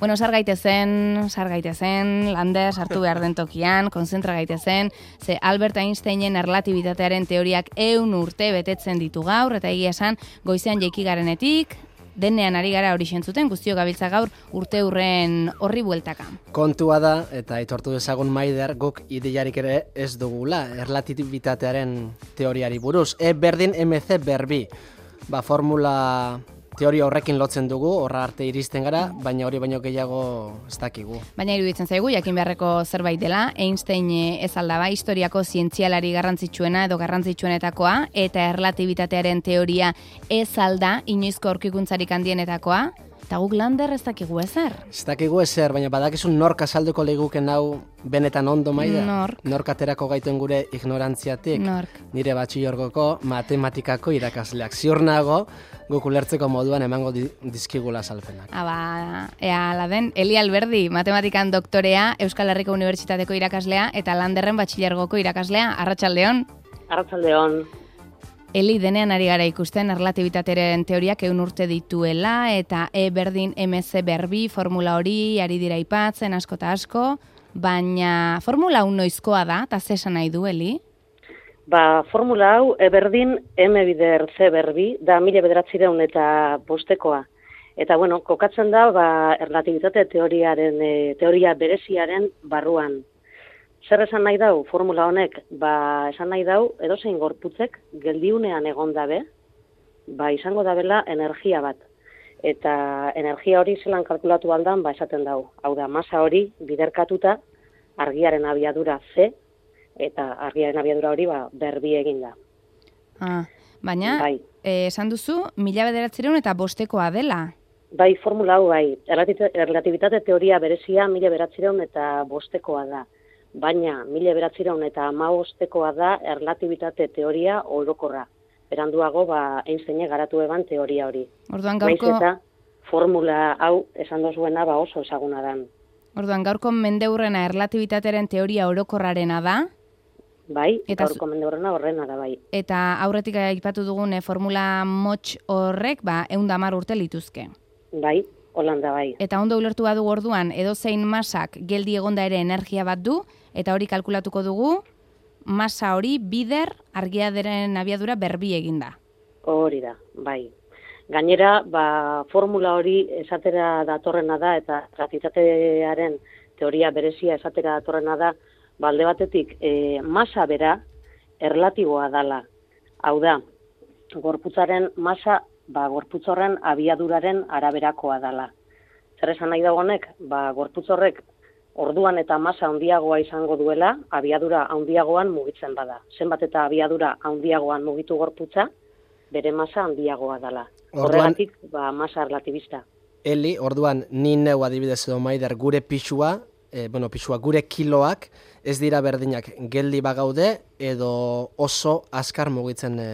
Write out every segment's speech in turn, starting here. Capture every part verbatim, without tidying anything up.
Bueno, sar gaitezen, sar gaitezen, Lander sartu behar den tokian, konzentra gaitezen, ze Albert Einsteinen erlatibitatearen teoriak ehun urte betetzen ditu gaur, eta egia esan, goizean jaiki garenetik, denean ari gara hori sentzuten, guztiok gabiltza gaur urte hurren horri bueltaka. Kontua da, eta aitortu dezagun Maider, guk ideiarik ere ez dugula, erlatibitatearen teoriari buruz. E berdin mc berbi, ba, formula teoria horrekin lotzen dugu, horra arte iristen gara, baina hori baino gehiago ez dakigu. Baina iruditzen zaigu, jakin beharreko zerbait dela, Einstein ez aldaba historiako zientzialari garrantzitsuena edo garrantzitsuenetakoa, eta erlatibitatearen teoria ez alda inoizko aurkikuntzarik handienetakoa, eta guk Lander ez dakigu ezer. Ez dakigu ezer, baina badakizun nork azalduko leiguken hau benetan ondo, Maider? Nork. Nork aterako gaituen gure ignorantziatik? Nork. Nire batxilorgoko matematikako irakasleak. Ziur nago, guk ulertzeko moduan emango di, dizkigula azalpenak. Aba, ea la den, Eli Alberdi, matematikan doktorea, Euskal Herriko Unibertsitateko irakaslea, eta Landerren batxilergoko irakaslea. Arratsaldeon. Arratsaldeon. Eli, denean ari gara ikusten erlatibitatearen teoriak ehun urte dituela, eta E berdin mc berbi formula hori ari dira aipatzen asko eta asko, baina formula hau noizkoa da, eta ze esan nahi du, Eli? Ba, formula hau E berdin M bider C berbi da mila bederatziehun eta bostekoa. Eta bueno, kokatzen da ba, erlatibitate teoriaren e, teoria bereziaren barruan. Zer esan nahi dau formula honek? Ba, esan nahi dau edozein gorputzek geldiunean egon dabe, ba izango dabela energia bat. Eta energia hori zelan kalkulatu aldan, ba esaten dau. Hau da, masa hori biderkatuta argiaren abiadura C, eta argiaren abiadura hori ba berbi egin da. Ah, baina, bai. eh, esan duzu, mila bederatziehun eta bostekoa dela. Bai, formula hau bai. Erlatibitate teoria berezia mila bederatziehun eta bostekoa da. Baina mila bederatziehun eta hamabostekoa da erlatibitate teoria orokorra. Beranduago ba Einsteinek garatu eban teoria hori. Orduan gaurko Naiz eta formula hau esan dozuena ba oso ezaguna da. Orduan gaurko mendeurrena erlatibitatearen teoria orokorrarena da. Bai, eta gaurko mendeurrena horrena da bai. Eta aurretik aipatu dugun formula motx horrek ba ehun eta hamar urte lituzke. Bai, Holanda bai. Eta ondo ulertu badu orduan edozein masak geldi egonda ere energia bat du, eta hori kalkulatuko dugu, masa hori bider argiaren abiadura berbi eginda. Hori da, bai. Gainera, ba, formula hori esatera datorrena da, eta erlatibitatearen teoria berezia esatera datorrena da, ba, alde batetik, e, masa bera erlatiboa dala. Hau da, gorputzaren masa, ba, gorputz horren abiaduraren araberakoa dala. Zer esan nahi dagonek, ba, gorputz horrek orduan eta masa handiagoa izango duela, abiadura handiagoan mugitzen bada. Zenbat eta abiadura handiagoan mugitu gorputza, bere masa handiagoa dala. Horregatik, ba, masa erlatibista. Eli, orduan, ni neu adibidez edo Maider gure pixua, e, bueno, pixua, gure kiloak, ez dira berdinak geldi bagaude, edo oso azkar mugitzen e,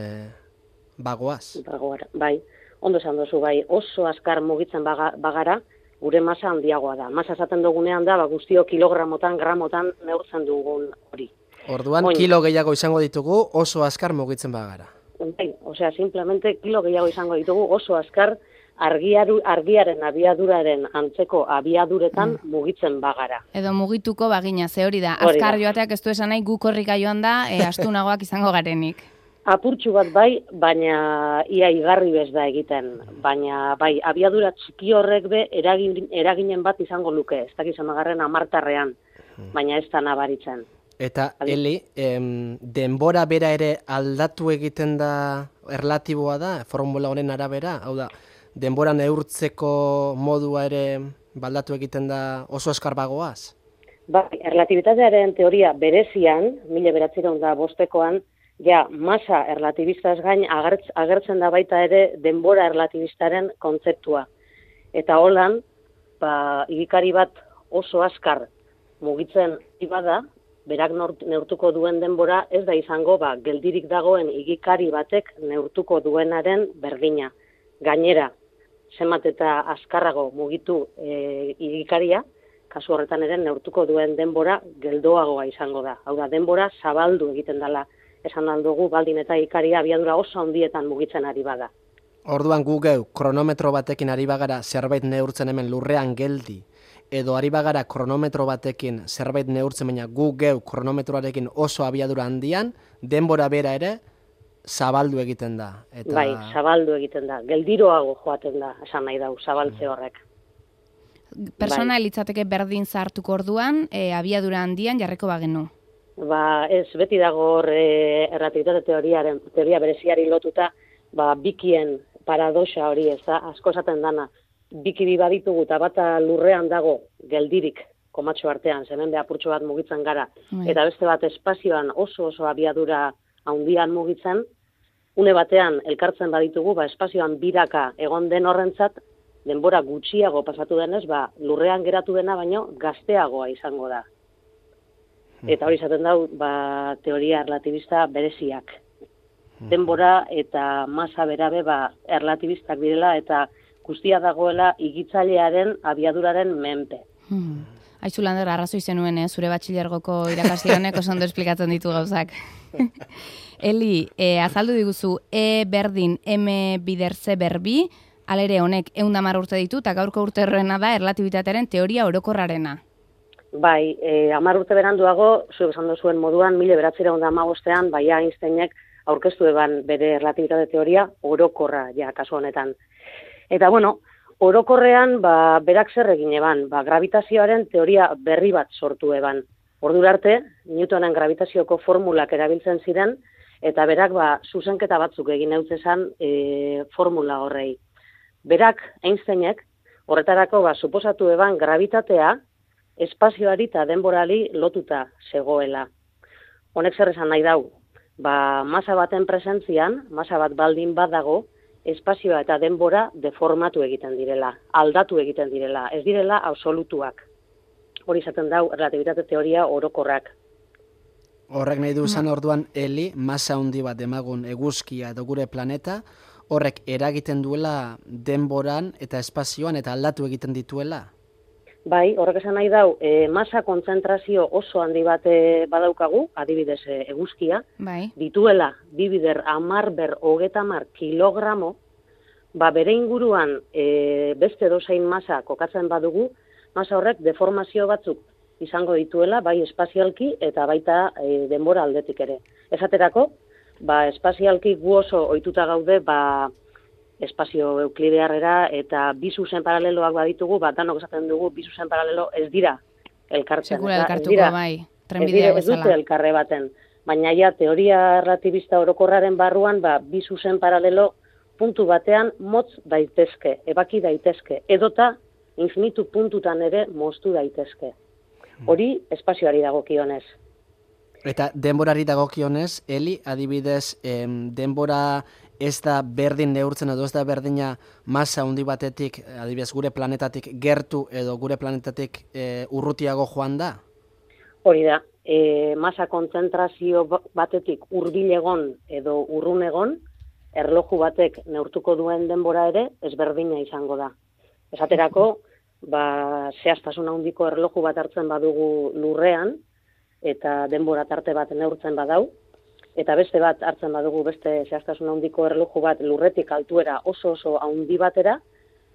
bagoaz. Bagoara, bai. Ondo esan duzu, bai, oso azkar mugitzen baga, bagara, gure masa handiagoa da. Masa esaten dugunean da, ba, guztio kilogramotan, gramotan neurtzen dugun hori. Orduan, Oin. kilo gehiago izango ditugu, oso azkar mugitzen bagara. Bai, osea, simplemente kilo gehiago izango ditugu, oso azkar argiaru, argiaren abiaduraren antzeko abiaduretan mm. mugitzen bagara. Edo mugituko bagina, ze hori da. Hori Azkar da. joateak ez du esan nahi gu korrika joan da, e, astunagoak izango garenik. Apurtxu bat bai, baina ia igarri bez da egiten. Baina bai, abiadura txiki horrek be eragin, eraginen bat izango luke. Ez dakiz amagarren amartarrean, baina ez da nabaritzen. Eta, Eli, em, denbora bera ere aldatu egiten da erlatiboa da, formula honen arabera? Hau da, denbora neurtzeko modua ere baldatu egiten da oso azkar bagoaz? Bai, erlatibitatearen teoria berezian, mila bederatziehun eta bostekoan, ja, masa erlatibistaz gain agertz, agertzen da baita ere denbora erlatibistaren kontzeptua. Eta holan, ba, igikari bat oso azkar mugitzen ibada, berak neurtuko duen denbora ez da izango ba, geldirik dagoen igikari batek neurtuko duenaren berdina. Gainera, zenbat eta azkarrago mugitu e, igikaria, kasu horretan ere neurtuko duen denbora geldoagoa izango da. Hau da, denbora zabaldu egiten dela. Esan aldugu, baldin eta ikaria abiadura oso handietan mugitzen ari bada. Orduan gu geu, kronometro batekin ari bagara zerbait neurtzen hemen lurrean geldi, edo ari bagara kronometro batekin zerbait neurtzen, baina gu geu kronometroarekin oso abiadura handian, denbora bera ere zabaldu egiten da. Eta... Bai, zabaldu egiten da. Geldiroago joaten da, esan nahi dau, zabaltze horrek. Persona bai. Litzateke berdin zartuko orduan, e, abiadura handian jarreko bagenu. Ba, ez, beti dago hor e, erlatibitate teoriaren, teoria bereziari lotuta, ba, bikien paradoxa hori, ez da, asko esaten dana, biki bi baditugu eta bata lurrean dago geldirik komatxo artean, zemen beha apurtxo bat mugitzen gara, bai. Eta beste bat espazioan oso oso abiadura handian mugitzen, une batean elkartzen baditugu, ba, espazioan biraka egon den horrentzat, denbora gutxiago pasatu denez, ba, lurrean geratu dena baino gazteagoa izango da. Eta hori izaten dau, ba, teoria erlatibista bereziak. Denbora eta masa berabe ba, erlatibistak direla eta guztia dagoela igitzailearen abiaduraren menpe. Hmm. Aizu Lander, arrazoi zenuen, eh? Zure batxilergoko irakasle honek oso ondo esplikatzen ditu gauzak. Eli, eh, azaldu diguzu E berdin M bider C berbi, alere honek ehun eta hamar urte ditu, eta gaurko urte horrena da erlatibitatearen teoria orokorrarena. Bai, eh, hamar urte beranduago, zuek esan duzuen moduan, mila bederatziehun eta hamabostean, bai Einsteinek aurkeztu eban bere erlatibitate teoria orokorra, ja, kasu honetan. Eta, bueno, orokorrean, ba, berak zer egin eban, ba, gravitazioaren teoria berri bat sortu eban. Ordura arte, Newtonen gravitazioko formulak erabiltzen ziren, eta berak, ba, zuzenketa batzuk egin eutzezan e, formula horrei. Berak, Einsteinek, horretarako, ba, suposatu eban gravitatea, espazioari eta denborali lotuta zegoela. Honek zer esan nahi dau, ba, masa baten presentzian, masa bat baldin bat dago, espazioa eta denbora deformatu egiten direla, aldatu egiten direla, ez direla absolutuak. Hori izaten dau relatibitate teoria orokorrak. Horrek nahi du izan orduan, Eli, masa handi bat demagun eguzkia edo gure planeta, horrek eragiten duela denboran eta espazioan eta aldatu egiten dituela? Bai, horrek esan nahi dau, e, masa kontzentrazio oso handi bat e, badaukagu, adibidez e, eguzkia, bai. Dituela, bibider amar ber hogeta mar kilogramo, ba bere inguruan e, beste dozein masa kokatzen badugu, masa horrek deformazio batzuk izango dituela, bai espazialki eta baita e, denbora aldetik ere. Esaterako, ba espazialki gu oso ohituta gaude, ba espazio euklidearrera eta bi zuzen paraleloak baditugu, bat danok esaten dugu bi zuzen paralelo ez dira elkartzen. Sekula elkartuko, bai, trenbidea bezala. Ez dute elkarre baten, baina ja teoria erlatibista orokorraren barruan, ba, bi zuzen paralelo puntu batean motz daitezke, ebaki daitezke, edota infinitu puntutan ere moztu daitezke. Hori espazioari dagokionez. Eta denborari dagokionez, Eli, adibidez, em, denbora ez da berdin neurtzen edo ez da berdina masa handi batetik, adibidez gure planetatik gertu edo gure planetatik e, urrutiago joan da? Hori da, e, masa kontzentrazio batetik hurbil egon edo urrun egon, erloju batek neurtuko duen denbora ere ezberdina izango da. Esaterako, ba, zehaztasun handiko erloju bat hartzen badugu lurrean, eta denbora tarte bat neurtzen badau, eta beste bat hartzen badugu beste zehaztasun handiko erloju bat lurretik altuera oso oso handi batera,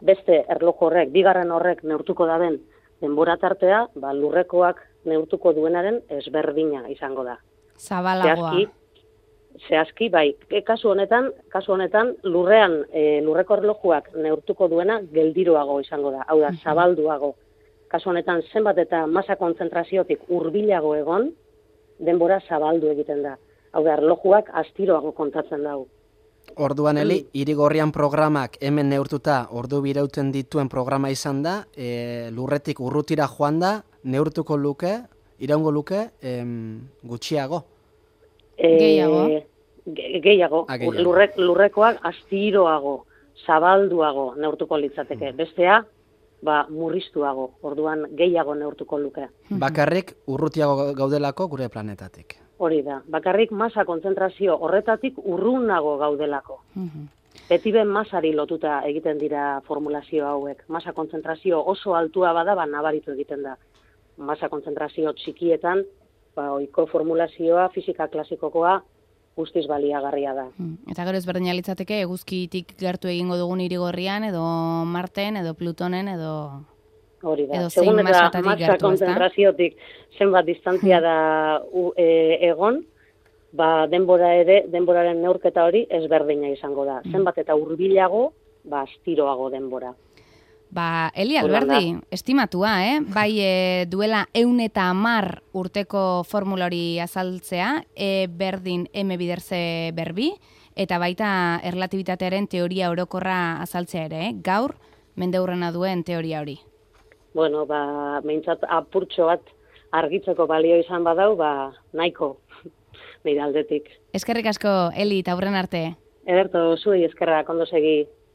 beste erloju horrek, bigarren horrek neurtuko daben denbora tartea, ba, lurrekoak neurtuko duenaren ezberdina izango da. Zabalagoa. Zehazki, zehazki bai, e, kasu honetan, kasu honetan lurrean e, lurreko erlojuak neurtuko duena geldiroago izango da, hau da, zabalduago. Kasu honetan zenbat eta masa kontzentraziotik hurbilago egon, denbora zabaldu egiten da. Hau da, erlojuak astiroago kontatzen dau. Orduan, Eli, Irigorrian programak hemen neurtuta ordu birauten dituen programa izan da, e, lurretik urrutira joan da, neurtuko luke, iraungo luke, em, gutxiago? E, gehiago. Ge, gehiago. Ah, gehiago. Lurrek, lurrekoak astiroago, zabalduago neurtuko litzateke. Bestea, ba, murriztuago, orduan gehiago neurtuko luke. Bakarrik urrutiago gaudelako gure planetatik. Hori da, bakarrik masa kontzentrazio horretatik urrunago gaudelako. Beti ben masari lotuta egiten dira formulazio hauek. Masa kontzentrazio oso altua bada, ba, nabaritu egiten da. Masa kontzentrazio txikietan, ba, ohiko formulazioa, fisika klasikokoa, guztiz baliagarria da. Eta gero ezberdina litzateke, eguzkitik gertu egingo dugun Irigorrian, edo Marten, edo Plutonen, edo... Hori da. Edo zein Segun eta masatatik masa gertu, ezta? konzentraziotik zenbat distantzia da u, e, egon, ba, denbora ere, denboraren neurketa hori ezberdina izango da. Zenbat eta hurbilago, ba, astiroago denbora. Ba, Eli Hola, Alberdi, estimatua, eh? Bai, e, duela eun eta amar urteko formula hori azaltzea, E berdin M biderze berbi, eta baita erlatibitatearen teoria orokorra azaltzea ere, eh? Gaur, mendeurrena duen teoria hori. Bueno, ba, meintzat apurtxo bat argitzeko balio izan badau, ba, nahiko, nire aldetik. Eskerrik asko, Eli, eta aurren arte. Ederto, zuei eskerrak, ondo segi.